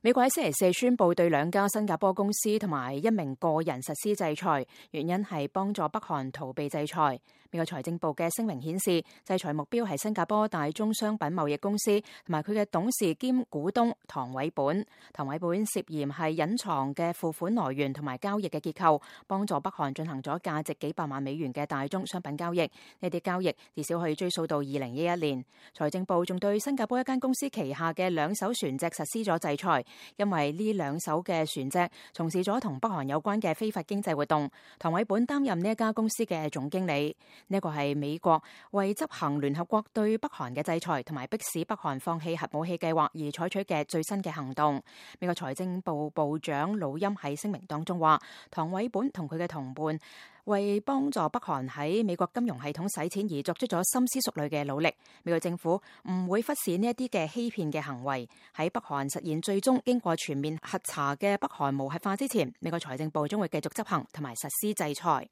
美國喺星期四宣布對2家新加坡公司同埋1名個人實施制裁，原因係幫助北韓逃避制裁。美國財政部嘅聲明顯示，制裁目標係新加坡大宗商品貿易公司同埋佢嘅董事兼股東唐偉本。唐偉本涉嫌係隱藏嘅付款來源同埋交易嘅結構，幫助北韓進行咗價值幾百萬美元嘅大宗商品交易。呢啲交易至少可以追溯到2011年。財政部仲對新加坡一間公司旗下嘅2艘船隻實施咗制裁，因為呢2艘嘅船隻從事咗同北韓有關嘅非法經濟活動。唐偉本擔任呢一家公司嘅總經理。呢一個係美國為執行聯合國對北韓嘅制裁同埋迫使北韓放棄核武器計劃而採取嘅最新嘅行動。美國財政部部長魯欽喺聲明當中話，唐偉本同佢嘅同伴為幫助北韓喺美國金融系統洗錢而作出咗深思熟慮嘅努力。美國政府唔會忽視呢一啲嘅欺騙嘅行為。喺北韓實現最終經過全面核查嘅北韓無核化之前，美國財政部將會繼續執行同埋實施制裁。